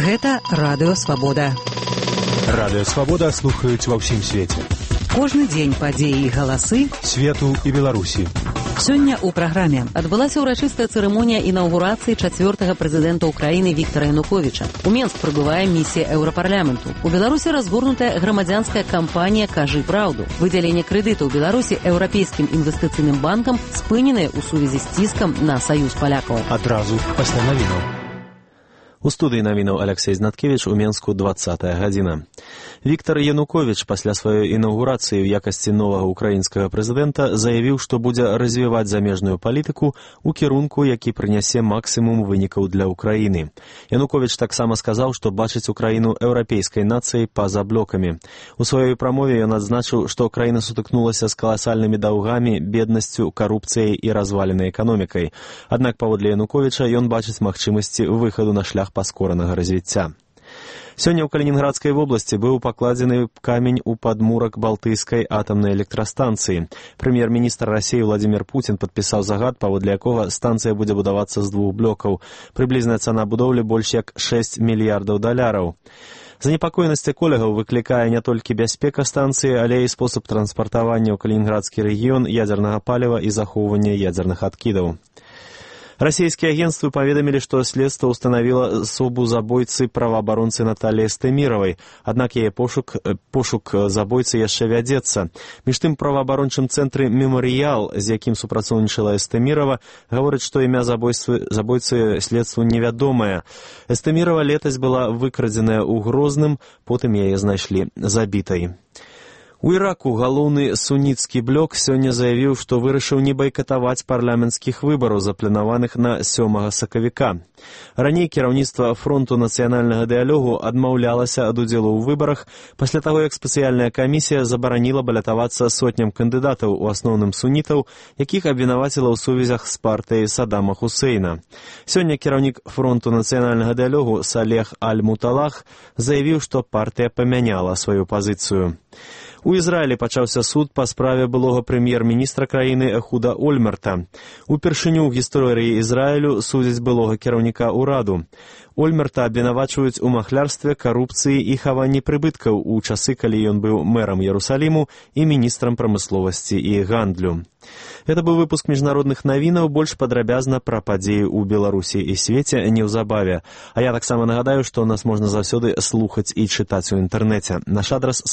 Гэта Радыё Свабода. Радыё Свабода слухаюць ва ўсім свеце. Кожны дзень падзеі і галасы свету і Беларусі. Сёння ў праграме адбылася ўрачыстая цырымонія інаўгурацыі 4-га прэзідэнта Украіны Віктара Януковіча. У Менск прыбывае місія Еўрапарламенту. У Беларусі разгорнутая грамадзянская кампанія «Кажы праўду». Выдзяленне крэдытаў Беларусі Еўрапейскім інвестыцыйным банкам спыненыя ў сувязі з ціскам на саюз палякаў. Адразу пасля навінаў. У студыі навінаў Алексей Знаткевіч, у Менску 20-я гадзіна. Віктар Януковіч пасля сваёй інаўгурацыі ў якасці новага украінскага прэзідэнта заявіў, што будзе развіваць замежную палітыку ў кірунку, які прынясе максімум вынікаў для Украіны. Януковіч таксама сказаў, што бачыць Украіну еўрапейскай нацыяй па-за блокамі. У сваёй прамове ён адзначыў, што Украіна сутыкнулася з каласальнымі даўгамі, беднасцю, карупцыяй і разваленай эканомікай. Аднак, паводле Януковіча, ён бачыць магчымасці выхаду на шлях паскоранага развіцця. Сёння ў Калінінградскай вобласці быў пакладзены камень у падмурак Балтыйскай атамнай электрастанцыі. Прэм'ер-міністр Расіі Владзімір Пуцін падпісаў загад, паводле якога станцыя будзе будавацца з 2 блокаў. Прыблізная цана будоўлі больш як $6 мільярдаў. Занепакоенасць эколагаў выклікае не толькі бяспека станцыі, але і спосаб транспартавання ў Калінінградскі рэгіён ядзернага паліва і захоўвання ядзерных адкідаў. Расійскія агенцтвы паведамілі, што следства ўстанавіла асобу забойцы праваабаронцы Наталіі Стэміравай, аднак яе пошук забойцы яшчэ вядзецца. Між тым, праваабарончым цэнтры «Мемарыял», з якім супрацоўнічала Стэмірава, гаворыць, што імя забойцы следству невядомае. Стэмірава летась была выкрадзеная ў Грозным, потым яе знайшлі забітай. У Іраку галоўны суніцкі блок сёння заявіў, што вырашыў не байкатаваць парламенцкіх выбараў, запланаваных на 7 сакавіка. Раней кіраўніцтва фронту нацыянальнага дыялогу адмаўлялася ад удзелу ў выбарах пасля таго, як спецыяльная камісія забараніла балятавацца сотням кандыдатаў, у асноўным сунітаў, якіх абвінаваціла ў сувязях з партыяй Саддама Хусейна. Сёння кіраўнік фронту нацыянальнага дыялогу Салех Аль-Муталах заявіў, што партыя памяняла сваю пазіцыю. У Ізраілі пачаўся суд па справе былога прэм'ер-міністра краіны Эхуда Ольмерта. Упершыню ў гісторыі Ізраілю судзяць былога кіраўніка ўраду. Ольмерта абвінавачваюць у махлярстве, карупцыі і хаванні прыбыткаў у часы, калі ён быў мэрам Ярусаліму і міністрам прамысловасці і гандлю. Гэта быў выпуск міжнародных навінаў, больш падрабязна пра падзеі ў Беларусі і свеце неўзабаве. А я таксама нагадаю, што нас можна заўсёды слухаць і чытаць у інтэрнэце. Наш адрас